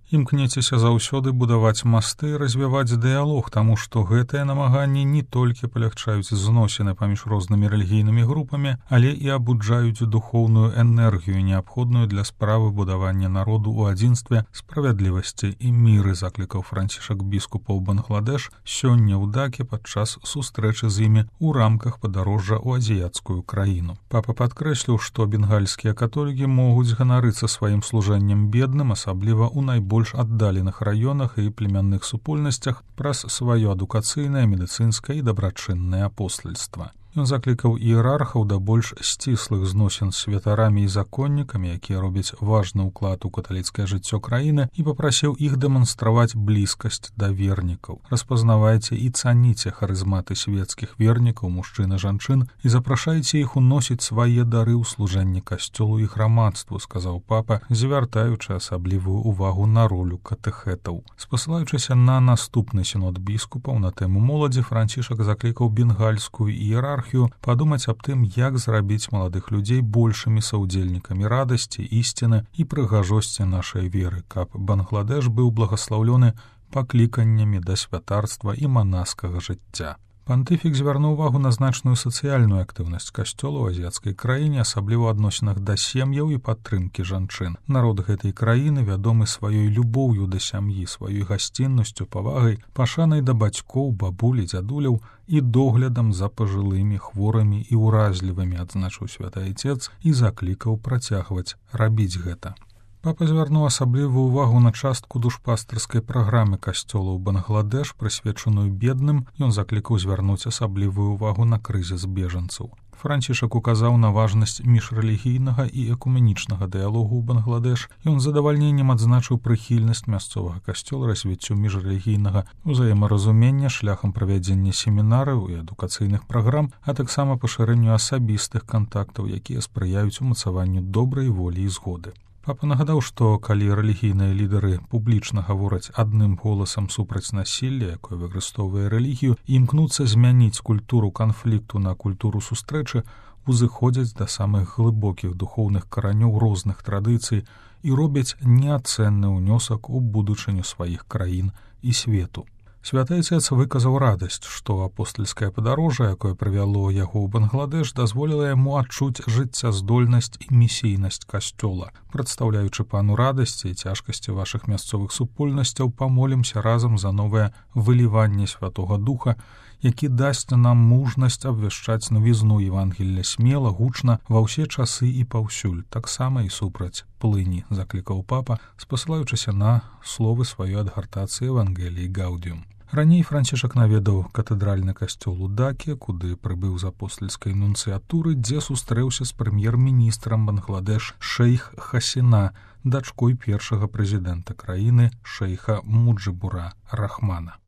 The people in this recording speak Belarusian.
Імкнецеся заўсёды будаваць масты і развіваць дыялог, таму што гэтыя намаганні не толькі палягчаюць зносіны паміж рознымі рэлігійнымі групамі, але і абуджаюць духоўную энергію, неабходную для справы будавання народу ў адзінстве, справядлівасці і міры, заклікаў Францішак біскупаў Бангладеш сёння ў Даке падчас сустрэчы з імі ў рамках падарожжа ў азіяцкую краіну. Папа падкрэсліў, што бенгальскія католікі могуць ганарыцца сваім служэннем бедным, асабліва ў найбольш аддаленых раёнах і племянных супольнасцях праз сваё адукацыйнае, медыцынскае і дабрачыннае апостальства. Ён заклікаў іерархаў да больш сціслых зносін з святарамі і законнікамі, якія робяць важны ўклад у каталіцкае жыццё краіны, і папрасіў іх дэманстраваць блізкасць да вернікаў. Распазнавайце і цаніце харызматы свецкіх вернікаў, мужчын і жанчын, і запрашайце іх уносіць свае дары ў служэнне касцёлу і грамадству, сказаў папа, звяртаючы асаблівую ўвагу на ролю катэхэтаў. Спасылаючыся на наступны сінод біскупаў на тэму моладзі, Францішак заклікаў бенгальскую іерархію падумаць аб тым, як зрабіць маладых людзей большымі саўдзельнікамі радасці, ісціны і прыгажосці нашай веры, каб Бангладеш быў благаслаўлёны пакліканнямі да святарства і манаскага жыцця. Пантыфік звярнуў увагу на значную сацыяльную актыўнасць касцёла ў азіяцкай краіне, асабліва ў адносінах да сем'яў і падтрымкі жанчын. Народ гэтай краіны вядомы сваёй любоўю да сям'і, сваёй гасціннасцю, павагай, пашанай да бацькоў, бабулі, дзядуляў і доглядам за пажылымі, хворымі і ўразлівымі, адзначыў святы айцец і заклікаў працягваць рабіць гэта. Папа звярнуў асаблівую ўвагу на частку душпастырскай праграмы касцёла ў Бангладеш, прысвечаную бедным. Ён заклікаў звярнуць асаблівую ўвагу на крызіс бежанцаў. Францішак указаў на важнасць міжрэлігійнага і экуменічнага дыялогу ў Бангладеш. Ён з задавальненнем адзначыў прыхільнасць мясцовага касцёла развіццю міжрэлігійнага ўзаемаразумення шляхам правядзення семінараў і адукацыйных праграм, а таксама пашырэнню асабістых кантактаў, якія спрыяюць умацаванню добрай волі і згоды. Папа нагадаў, што калі рэлігійныя лідары публічна гавораць адным голасам супраць насілля, якое выкарыстоўвае рэлігію, і імкнуцца змяніць культуру канфлікту на культуру сустрэчы, узыходзяць да самых глыбокіх духоўных каранёў розных традыцый і робяць неацэнны ўнёсак у будучыню сваіх краін і свету. Святы айцец выказаў радасць, што апостальскае падарожжа, якое прывяло яго ў Бангладеш, дазволіла яму адчуць жыццяздольнасць і місійнасць касцёла. Прадстаўляючы пану радасці і цяжкасці вашых мясцовых супольнасцяў, памолімся разам за новае выліванне Святога Духа, які дасць нам мужнасць абвяшчаць навізну Евангелля смела, гучна, ва ўсе часы і паўсюль, таксама і супраць плыні, заклікаў папа, спасылаючыся на словы сваёй адгартацыі Евангеліі Гаудіум. Раней Францішак наведаў катэдральны касцёл у Даке, куды прыбыў з апостальскай нунцыятуры, дзе сустрэўся з прэм'ер-міністрам Бангладеш шэйх Хасіна, дачкой першага прэзідэнта краіны шэйха Муджыбура Рахмана.